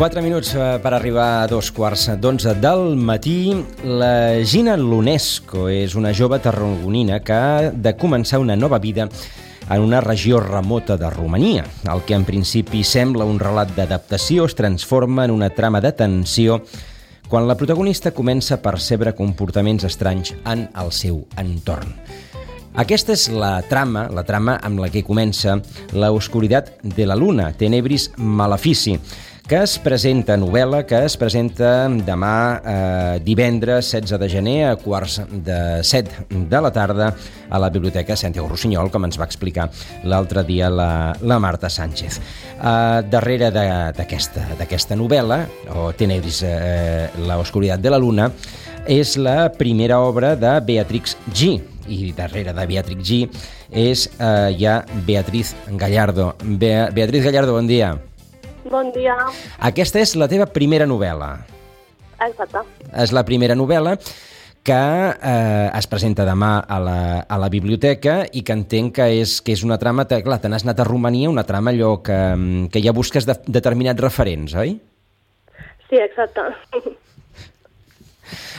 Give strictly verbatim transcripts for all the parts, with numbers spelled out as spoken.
Quatre minuts per arribar a dos quarts d'onze del matí. La Gina Lunesco és una jove tarragonina que ha de començar una nova vida en una regió remota de Romania. El que en principi sembla un relat d'adaptació es transforma en una trama de tensió quan la protagonista comença a percebre comportaments estranys en el seu entorn. Aquesta és la trama, la trama amb la que comença La oscuridad de la luna, Tenebris Malefici, que es presenta, novel·la, que es presenta demà eh, divendres setze de gener a quarts de set de la tarda a la Biblioteca Santiago Rossinyol, com ens va explicar l'altre dia la, la Marta Sánchez. Eh, darrere d'aquesta d'aquesta novel·la, o Tenebris, eh, La oscuridad de la luna, és la primera obra de Beatrix G. I darrere de Beatrix G és eh, ja Beatriz Gallardo. Be Beatriz Gallardo, bon dia. Bon dia. Aquesta és la teva primera novel·la. Exacte. És la primera novel·la que eh, es presenta demà a la, a la biblioteca i que entenc que és, que és una trama... Clar, te n'has anat a Romania, una trama allò que, que ja busques de, determinats referents, oi? Sí, exacte.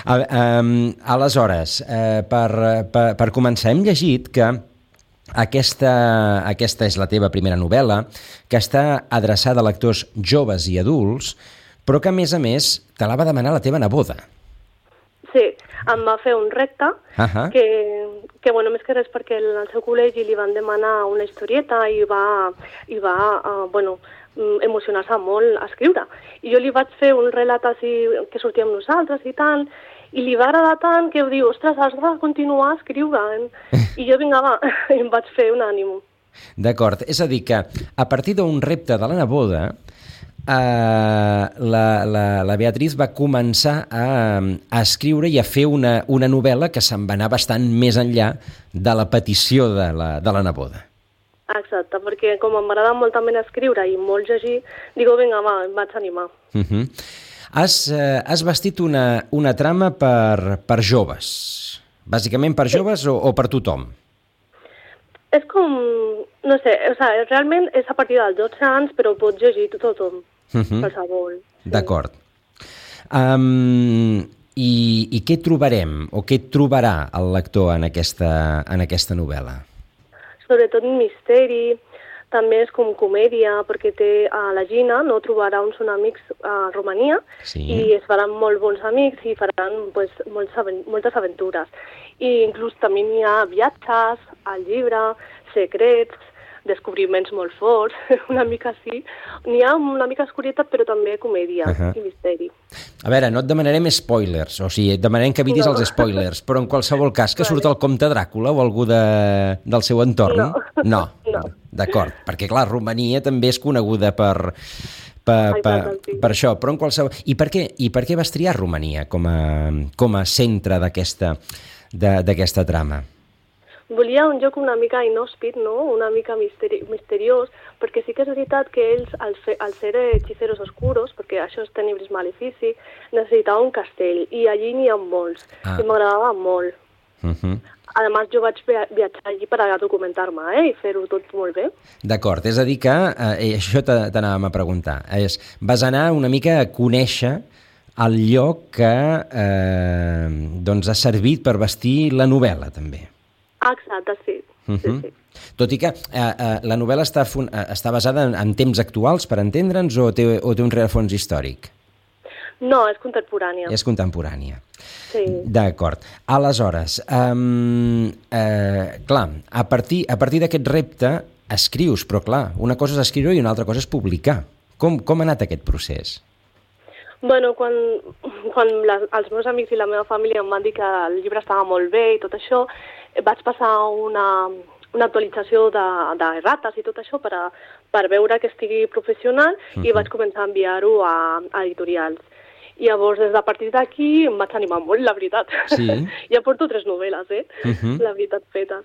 A, um, aleshores, eh, per, per, per començar, hem llegit que aquesta, aquesta és la teva primera novel·la, que està adreçada a lectors joves i adults, però que, a més a més, te la va demanar la teva neboda. Sí, em va fer un repte, uh-huh. que, que, bueno, més que res perquè al seu col·legi li van demanar una historieta i va, i va uh, bueno, emocionar-se molt a escriure. I jo li vaig fer un relat així que sortia amb nosaltres i tant, i li va agradar tant que ho diu, ostres, has de continuar escrivint. I jo, vinga, va, i em vaig fer un ànim. D'acord, és a dir que a partir d'un repte de la neboda, eh, la, la, la Beatriz va començar a, a escriure i a fer una, una novel·la que se'n va anar bastant més enllà de la petició de la, de la neboda. Exacte, perquè com m'agrada molt també escriure i molt llegir, digo, vinga, va, em vaig animar. Uh-huh. Has, eh, has vestit una, una trama per, per joves, bàsicament per joves o, o per tothom? És com, no sé, o sigui, realment és a partir dels dotze anys, però pots llegir tothom, uh-huh. qualsevol. Sí. D'acord. Um, i, I què trobarem, o què trobarà el lector en aquesta, en aquesta novel·la? Sobretot misteri, també és com comèdia, perquè té a la Gina, no trobarà uns amics a Romania, sí. I es faran molt bons amics i faran pues, moltes, moltes aventures. I inclús també hi ha viatges al llibre, secrets, descobriments molt forts, una mica així. N'hi ha una mica escurietat, però també comèdia uh-huh. i misteri. A veure, no et demanarem spoilers, o sigui, et demanarem que evitis no. els spoilers, però en qualsevol cas que vale. Surt el comte Dràcula o algú de, del seu entorn? No. No. no. D'acord, perquè clar, Romania també és coneguda per, per, Ai, per, sí. per això, però en qualsevol... I per què, i per què vas triar Romania com a, com a centre d'aquesta d'aquesta trama? Volia un joc una mica inhòspit, no? Una mica misteri misteriós, perquè sí que és veritat que ells, al, fe, al ser hechiceros oscuros, perquè això és Tenebris Malefici, necessitava un castell, i allí n'hi ha molts, ah. i m'agradava molt. Uh-huh. A més, jo vaig viatjar allí per a documentar-me, eh? I fer-ho tot molt bé. D'acord, és a dir que, eh, això t'anàvem a preguntar, és, vas anar una mica a conèixer el lloc que eh, doncs ha servit per vestir la novel·la, també. Exacte, sí. Uh-huh. sí, sí. Tot i que eh, eh, la novel·la està, està basada en, en temps actuals, per entendre'ns, o té, o té un rerefons històric? No, és contemporània. És contemporània. Sí. D'acord. Aleshores, um, eh, clar, a partir, a partir d'aquest repte escrius, però clar, una cosa és escriure i una altra cosa és publicar. Com, com ha anat aquest procés? Bueno, quan, quan les, els meus amics i la meva família em van dir que el llibre estava molt bé i tot això, vaig passar una, una actualització de, de rates i tot això per, a, per veure que estigui professional uh-huh. i vaig començar a enviar-ho a, a editorials. I llavors, des de a partir d'aquí, em vaig animar molt, la veritat. Sí. Ja porto tres novel·les, eh? Uh-huh. La veritat, fetes.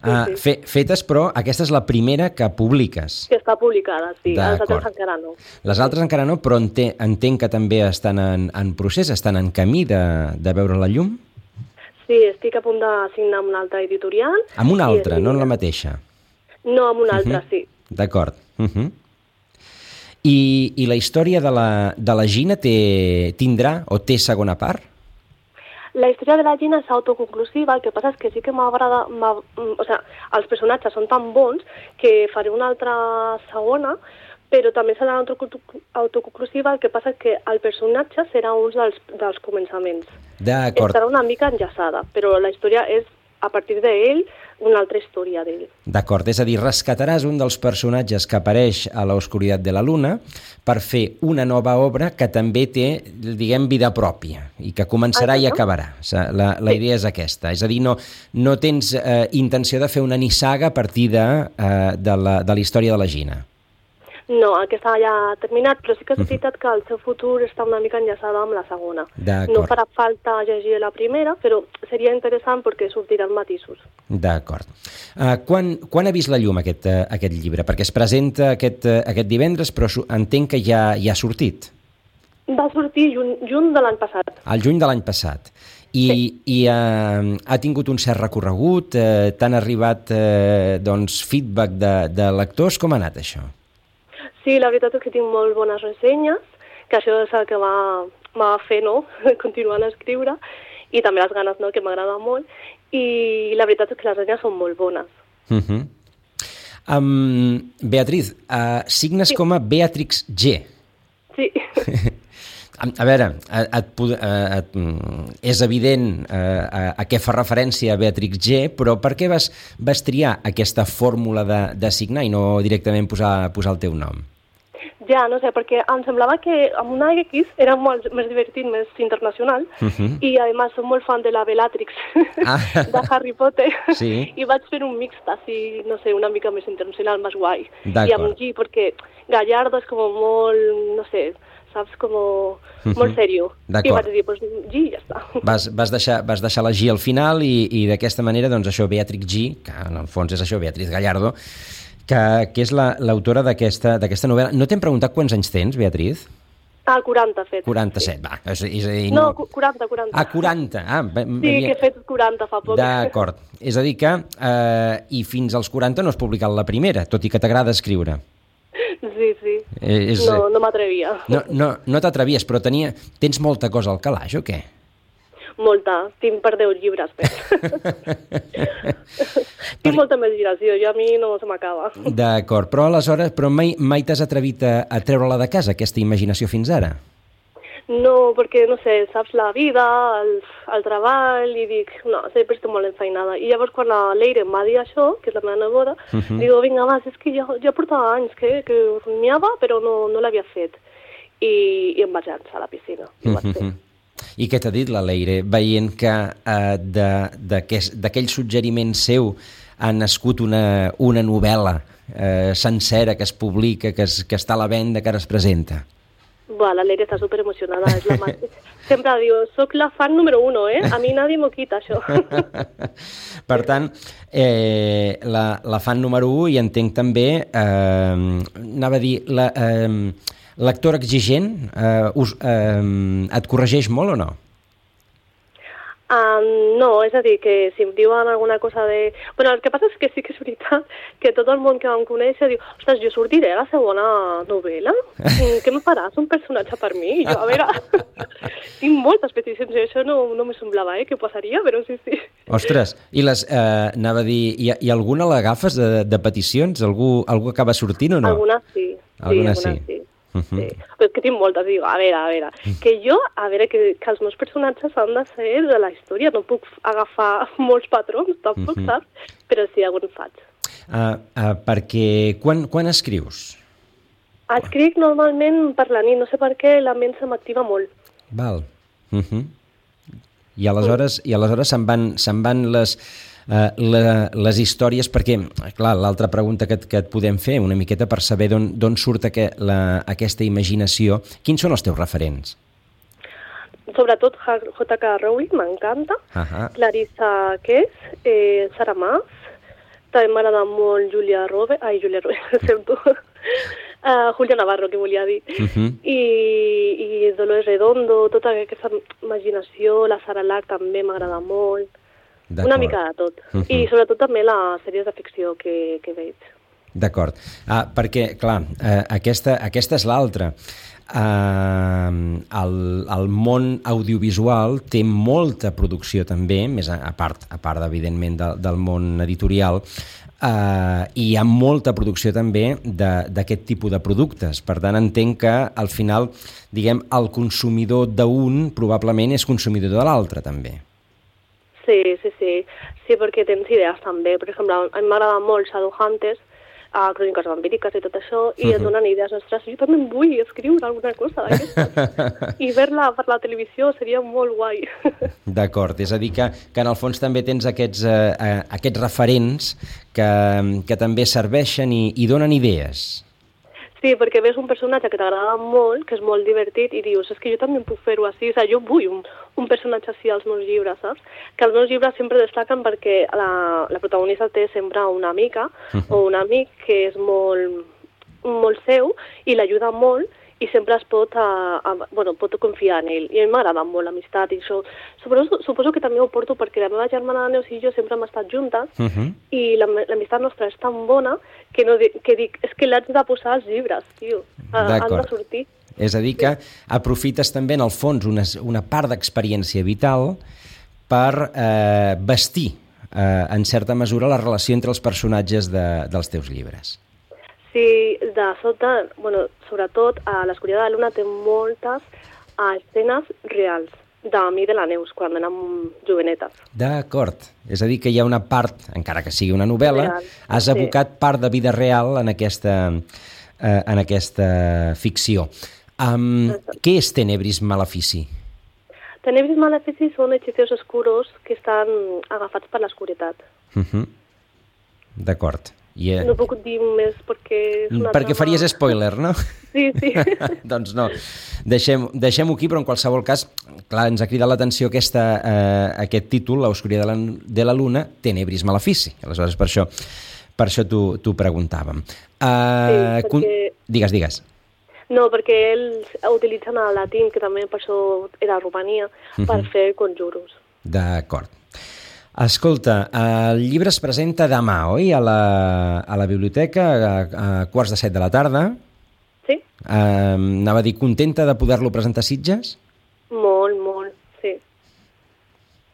Sí, ah, sí. Fe, fetes, però aquesta és la primera que publiques. Que està publicada, sí. Les altres encara no. Les altres encara no, però ente, entenc que també estan en, en procés, estan en camí de, de veure la llum? Sí, estic a punt de signar amb una altra editorial. Amb una altra, no en la mateixa? No, amb una altra, uh-huh. sí. D'acord. Uh-huh. I, i la història de la, de la Gina té, tindrà o té segona part? La història de la Gina és autoconclusiva, el que passa és que sí que m'agrada... O sigui, els personatges són tan bons que faré una altra segona, però també serà autoconclusiva, el que passa és que el personatge serà un dels, dels començaments. D'acord. Estarà una mica enllaçada, però la història és, a partir d'ell, una altra història d'ell. D'acord, és a dir, rescataràs un dels personatges que apareix a l'Oscuritat de la Luna per fer una nova obra que també té, diguem, vida pròpia i que començarà i acabarà. La, la idea és aquesta. És a dir, no, no tens eh, intenció de fer una nissaga a partir de, eh, de, la, de la història de la Gina. No, aquesta ja ha terminat, però sí que és veritat que el seu futur està una mica enllaçada amb la segona. No farà falta llegir la primera, però seria interessant perquè sortiran matisos. D'acord. Uh, quan, quan ha vist la llum aquest, uh, aquest llibre? Perquè es presenta aquest, uh, aquest divendres, però entenc que ja, ja ha sortit. Va sortir juny, juny de l'any passat. El juny de l'any passat. I, sí. i uh, ha tingut un cert recorregut? Uh, T'han arribat uh, doncs, feedback de, de lectors? Com ha anat això? Sí, la veritat és que tinc molt bones ressenyes, que això és el que m'ha fet, no?, continuant a escriure, i també les ganes, no?, que m'agrada molt, i la veritat és que les ressenyes són molt bones. Uh -huh. um, Beatriz, uh, signes sí. com a Beatrix G. Sí. a, a veure, et, et, et, és evident uh, a, a què fa referència Beatrix G, però per què vas, vas triar aquesta fórmula de, de signar i no directament posar, posar el teu nom? Ja, no sé, perquè em semblava que amb una X era molt més divertit, més internacional, uh-huh. i a més soc molt fan de la Bellatrix ah. de Harry Potter, sí. i vaig fer un mixt així, no sé, una mica més internacional, més guai. I amb G, perquè Gallardo és com molt, no sé, saps, com uh-huh. molt serio. I vaig dir, pues G, ja està. Vas, vas, deixar, vas deixar la G al final i, i d'aquesta manera, doncs això, Beatrix G, que en el fons és això, Beatriz Gallardo, que, que és l'autora d'aquesta d'aquesta novel·la. No t'hem preguntat quants anys tens, Beatriz? Ah, quaranta fet. quaranta-set, sí. Va. És, és a dir, no, quaranta, quaranta. Ah, quaranta. Ah, sí, havia... que he fet quaranta fa poc. D'acord. És a dir que, eh, i fins als quaranta no has publicat la primera, tot i que t'agrada escriure. Sí, sí. És... No, no m'atrevia. No, no, no t'atrevies, però tenia... tens molta cosa al calaix, o què? Molta. Tinc per deu llibres, però. Tinc molta imaginació, i a mi no se m'acaba. D'acord, però aleshores però mai, mai t'has atrevit a, a treure-la de casa, aquesta imaginació, fins ara? No, perquè, no sé, saps, la vida, el, el treball, i dic, no, sempre estic molt enfeinada. I llavors quan la Leire em va dir això, que és la meva neboda, uh -huh. digo, vinga, va, és que ja, ja portava anys que, que rumiava, però no, no l'havia fet. I, I em vaig llançar a la piscina. I ho vaig fer. I què t'ha dit la Leire, veient que eh, d'aquell suggeriment seu ha nascut una, una novel·la eh, sencera que es publica, que, es, que està a la venda, que ara es presenta? Buah, la Leire està superemocionada. És la sempre diu, soc la fan número uno, eh? A mi nadie m'ho quita, això. Per tant, eh, la, la fan número u, i entenc també, eh, anava a dir, la... Eh, lector exigent, eh, us, eh, et corregeix molt o no? Um, no, és a dir, que si em diuen alguna cosa de... Bueno, el que passa és que sí que és veritat que tot el món que em coneix diu, ostres, jo sortiré a la segona novel·la? Què em faràs, un personatge per mi? I jo, a veure, tinc moltes peticions, i això no, no me semblava, eh, que passaria, però sí, sí. Ostres, i les, eh, anava a dir, hi, hi ha alguna l'agafes de, de peticions? Algú, algú acaba sortint o no? Alguna sí. Alguna sí. sí. Alguna sí. Uh -huh. Sí. Però és que tinc moltes, dic, a veure, a veure, que jo, a veure, que, que els meus personatges han de ser de la història, no puc agafar molts patrons, tampoc, uh -huh. saps? Però sí, algun faig. Uh, uh, perquè, quan, quan escrius? Escric normalment per la nit, no sé per què, la ment se m'activa molt. Val. Uh -huh. I aleshores, uh -huh. i aleshores se'n van, se'n van les... Uh, la, les històries, perquè, clar, l'altra pregunta que et, que et podem fer una miqueta per saber d'on surt aqu la, aquesta imaginació, quins són els teus referents? Sobretot J K Rowling, m'encanta, uh -huh. Clarissa Kess, eh, Sarah Maas, també m'agrada molt Julia Roberts, ai, Julia Roberts, sento, uh, Julia Navarro, que volia dir, uh -huh. I, i Dolores Redondo, tota aquesta imaginació, la Sara Lack també m'agrada molt. Una mica de tot. Uh -huh. I sobretot també les sèries de ficció que, que veig. D'acord. Ah, perquè, clar, eh, aquesta, aquesta és l'altra. Uh, el, el món audiovisual té molta producció també, més a, a part, a part evidentment de, del món editorial, uh, i hi ha molta producció també d'aquest tipus de productes. Per tant, entenc que al final, diguem, el consumidor d'un probablement és consumidor de l'altre també. Sí, sí, sí, sí, perquè tens idees també. Per exemple, a mi m'agrada molt Shadowhunters, a cròniques vampíriques i tot això, i uh-huh. et donen idees, ostres, jo també vull escriure alguna cosa d'aquestes. I ver-la per la televisió seria molt guai. D'acord, és a dir que, que en el fons també tens aquests, eh, aquests referents que, que també serveixen i, i donen idees. Sí, perquè ves un personatge que t'agrada molt, que és molt divertit, i dius, és que jo també puc fer-ho així, o sigui, jo vull un, un personatge així als meus llibres, saps? Que els meus llibres sempre destaquen perquè la, la protagonista té sempre una amica o un amic que és molt, molt seu i l'ajuda molt i sempre es pot, a, a, bueno, pot confiar en ell. I a mi m'agrada molt l'amistat i això. Suposo, suposo que també ho porto perquè la meva germana Neus i jo sempre hem estat juntes uh-huh. i l'amistat nostra és tan bona que, no, que dic, és que l'haig de posar als llibres, tio. Han de sortir. És a dir que aprofites també en el fons una, una part d'experiència vital per eh, vestir eh, en certa mesura la relació entre els personatges de, dels teus llibres. Sí, de sota, bueno, sobretot a l'Escuridad de la Luna té moltes uh, escenes reals de mi i de la Neus, quan érem jovenetes. D'acord. És a dir, que hi ha una part, encara que sigui una novel·la, real. Has abocat sí. part de vida real en aquesta, eh, en aquesta ficció. Um, què és Tenebris Malefici? Tenebris Malefici són hechizos oscuros que estan agafats per l'escuritat. Uh-huh. D'acord. Yeah. No puc dir més perquè és una perquè trama... faries spoiler, no? Sí, sí. Doncs no, deixem, deixem-ho aquí, però en qualsevol cas, clar, ens ha cridat l'atenció aquesta, eh, aquest títol, L'Oscuridad de la, de la Luna, Tenebris Malefici. Aleshores, per això, per això t'ho preguntàvem. Uh, sí, perquè... con... Digues, digues. No, perquè ells utilitzen el latín, que també per això era Romania, uh-huh. per fer conjuros. D'acord. Escolta, el llibre es presenta demà, oi? A la, a la biblioteca, a, a quarts de set de la tarda. Sí. Uh, anava a dir, contenta de poder-lo presentar a Sitges? Molt, molt, sí.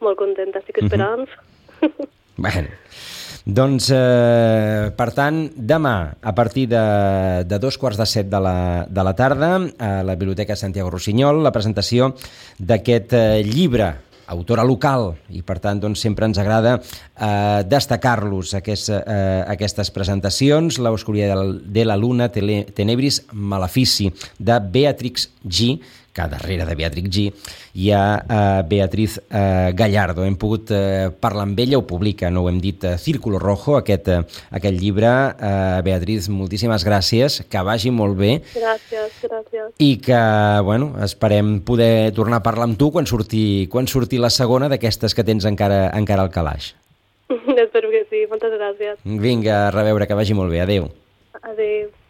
Molt contenta, estic esperant. Uh-huh. Bueno, doncs, eh, per tant, demà, a partir de, de dos quarts de set de la, de la tarda, a la Biblioteca Santiago Rossinyol, la presentació d'aquest eh, llibre, autora local, i per tant doncs, sempre ens agrada eh, destacar-los aquest, eh, aquestes presentacions. L'Oscuridad de la Luna, Tenebris Malefici, de Beatrix G, que darrere de Beatrix G hi ha eh, Beatriz eh, Gallardo. Hem pogut eh, parlar amb ella, ho publica, no ho hem dit, eh, Círculo Rojo, aquest, eh, aquest llibre. Eh, Beatriz, moltíssimes gràcies, que vagi molt bé. Gràcies, gràcies. I que, bueno, esperem poder tornar a parlar amb tu quan surti, quan surti la segona d'aquestes que tens encara, encara al calaix. Espero que sí, moltes gràcies. Vinga, a reveure, que vagi molt bé. Adéu. Adéu.